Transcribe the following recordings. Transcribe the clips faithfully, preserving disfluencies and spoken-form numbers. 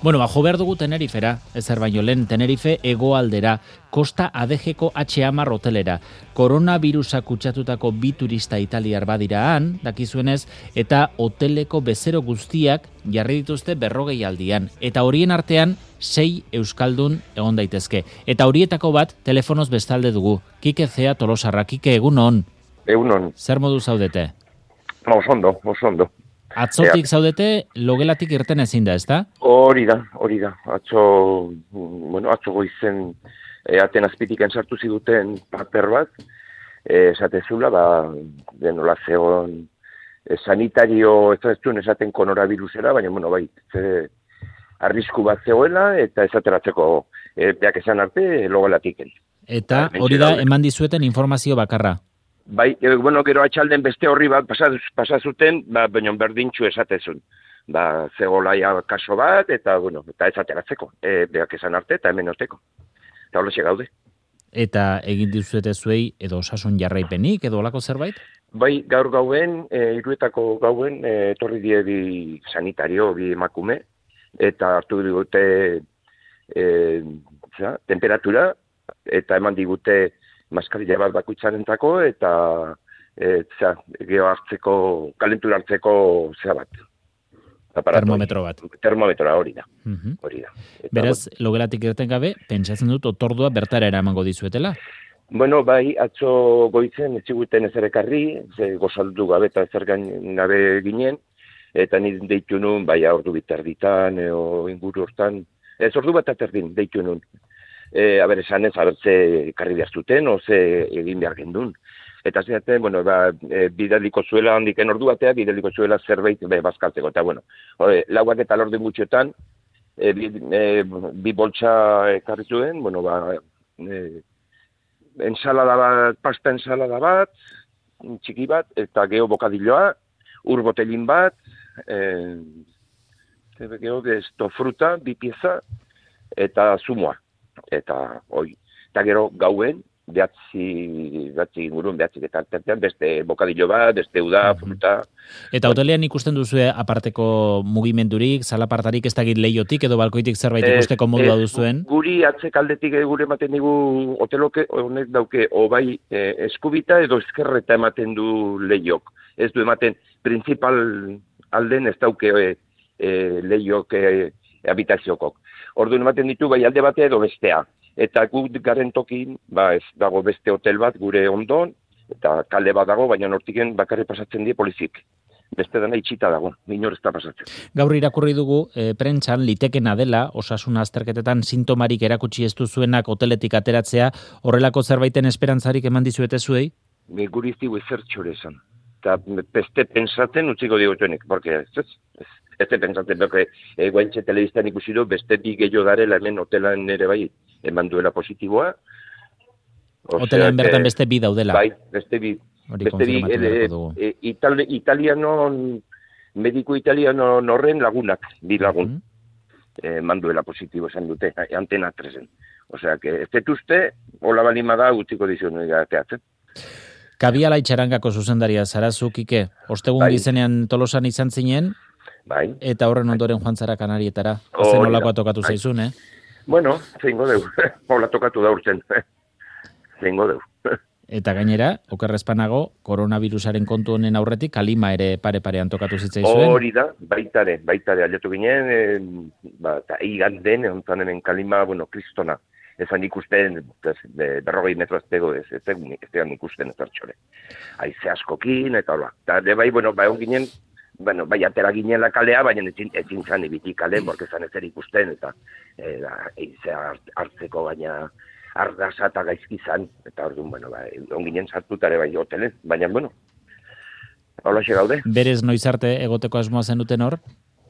Bueno, ba, jo behar dugu Tenerifera, ezer baino lehen, Tenerife hegoaldera, Costa Adegeko H hamar hotelera. Koronavirusa kutsatutako bi turista italiar badira han, dakizuenez, eta hoteleko bezero guztiak jarri dituzte berrogei aldian. Eta horien artean, sei euskaldun egon daitezke. Eta horietako bat, telefonoz bestalde dugu. Kike Zea Tolosarra, Kike, egunon. Egunon. Zer modu zaudete? Osondo, osondo. Atzotik zaudete, logelatik irten ezin da, ezta? Hori da, hori da. Atzo, bueno, atzo goizen e, aten azpitiken sartu ziguten paper bat, e, esatezula, ba, denola zegoen e, sanitario, ez da ez duen esaten koronavirusera, baina, bueno, bai, ze, arrisku bat zegoela, eta esateratzeko e, beak esan arte, logelatiken. Eta hori da, eman dizueten informazio bakarra. Bai, e, bueno, gero atxalden beste horri bat pasazuten, ba, baina berdintxu esatezun. Ba, zegolaia kaso bat, eta, bueno, eta ez ateratzeko. E, beak esan arte, eta hemen osteko. Eta hola gaude. Eta egin dizuete zuei, edo osasun jarraipenik, edo olako zerbait? Bai, gaur gauen, e, iruetako gauen, e, etorri die bi sanitario, bi emakume, eta hartu digute e, za, temperatura, eta eman digute maskarilla bat bakoitzarentako eta e, zera, geho hartzeko, kalentura hartzeko zera bat. Aparato, termometro bat. Termometroa hori da. Uh-huh. Hori da. Eta, beraz, bueno, logelatik irten gabe, pentsatzen dut otordua bertara eramango dizuetela? Bueno, bai, atzo goitzen ez ziguten ezer ekarri, ze gozaldu gabe eta ezer gabe ginen, eta ni deitu nun, bai, ordu bitarditan, o inguru hortan, ez ordu bat aterdin deitu nun. E, aber, esan ez, abertze karri behar zuten, oze egin behar gendun. Eta zinaten, bueno, ba, e, bidaliko zuela handiken ordu batea, bidaliko zuela zerbait be, bazkaltzeko. Eta, bueno, ore, lauak eta lorden gutxotan, e, bi, e, bi boltsa ekarri zuen, bueno, ba, e, ensalada bat, pasta ensalada bat, txiki bat, eta geho bokadilloa, ur botelin bat, e, geho, esto, fruta, bi pieza, eta zumoa. Eta, oi, eta gero gauen, behatzi, behatzi ingurun, behatzi eta artean, beste bokadillo bat, beste uda, fruta. Eta hotelean ikusten duzue aparteko mugimendurik, salapartarik, ez dakit leiotik edo balkoitik zerbait ikusteko modua duzuen? Guri atzekaldetik gure ematen digu hoteloke, honek dauke, o bai e, eskubita edo eskerreta ematen du leiok. Ez du ematen, principal alden ez dauke e, e, leiok e, habitaziokok. Orduan ematen ditu bai alde batea edo bestea. Eta gu garen tokin, ba ez dago beste hotel bat gure ondon, eta kale bat dago, baina nortiken bakarri pasatzen die polizik. Beste dena itxita dago, inor ez da pasatzen. Gaur irakurri dugu, e, prentxan, litekena dela, osasun azterketetan sintomarik erakutsi ez duzuenak hoteletik ateratzea, horrelako zerbaiten esperantzarik eman dizuete zuei? Guri ez digu ezer txore esan. Eta beste pensaten utziko digutuenik, porque ez ez. Ez te pensatzen, porque e, guaintxe telebiztan ikusi du, beste bi gehiago darela hemen hotelan ere bai, eman duela positiboa. Hotelan bertan beste bi daudela. Bai, beste bi. Hori beste bi, e, e, itali, italiano, mediku italiano norren lagunak, bi lagun. Uh-huh. Eman duela positibo esan dute, antena tresen. Osea, que ez detuzte, hola balima da, utziko dizion teatzen. Kabiala itxarangako zuzendaria zarazu, Kike, ostegun bai. Gizenean Tolosan izan zinen, bai. Eta horren ondoren joan zara Kanarietara. Zer nolakoa tokatu bai. Zaizun, eh? Bueno, zeingo deu. Hola tokatu da urtzen. Zeingo deu. Eta gainera, okerrezpanago, koronavirusaren kontu honen aurretik, kalima ere pare-parean tokatu zitzaizuen. Hori da, baitare, baitare, aliatu ginen, e, ba, eta iganden, ontan hemen kalima, bueno, kristona. Ezan ikusten, berrogei metro aztego, ez, ez, ez egan ikusten ez hartxore. Aize askokin, eta hola. Eta de bai, bueno, bai on ginen, bueno, bai atera ginela kalea, baina ezin, ezin zan ibitik kalen, borke zan ezer ikusten, eta e, da, eize hartzeko baina ardasa eta gaizki zan, eta orduan, bueno, bai, onginen sartutare bai hotelen, baina, bueno, hola xe gaude. Berez noiz arte egoteko asmoa zenuten hor?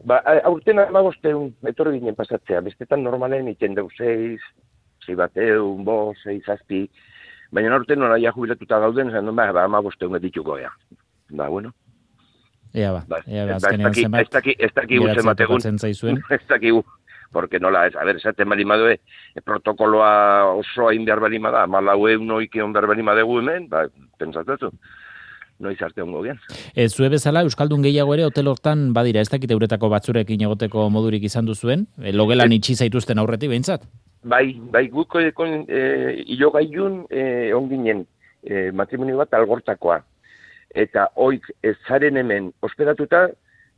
Ba, aurten amagosteun, etorri ginen pasatzea, bestetan normalen iten deu seiz, zei bateun, bo, zei zazpi, baina aurten nola ja jubilatuta gauden, zan duen, ba, amagosteun edituko ea. Ba, bueno. Ea ba, ba ea ba, azkenean zenbat. Ez daki gu zemategun. Ez daki gu. Porque nola, ez, a ver, esaten balima doe, e, protokoloa oso hain behar balima da, malau eun oike on behar balima dugu hemen, ba, pensatzatu. noiz arte ongo gian. Ez zue bezala, Euskaldun gehiago ere hotel hortan badira, ez dakite euretako batzurekin egoteko modurik izan duzuen, e, logelan itxi zaituzten aurretik behintzat? Bai, bai, guko ekon, e, ilogailun e, onginen e, matrimonio bat algortakoa. Eta oik ez zaren hemen ospedatuta,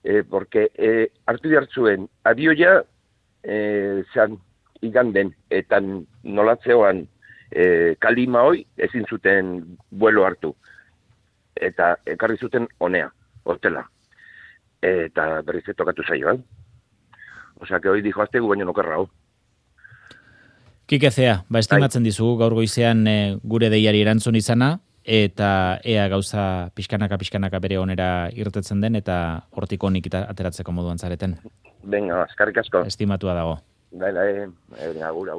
e, porque e, hartu jartzuen abioia e, zan iganden, eta nolatzeoan e, kalima hoi ezin zuten vuelo hartu. Eta ekarri zuten honea, hotela. Eta berriz tokatu zaioan. Osea, que hoi dijo azte gu baino nokerra hau. Kikezea, ba estimatzen dizugu gaur goizean e, gure deiari erantzun izana, eta ea gauza pixkanaka pixkanaka bere onera irtetzen den, eta hortik onik ateratzeko moduan zareten. Venga, eskarrik asko. Estimatua dago. Bai, bai, agur, agur.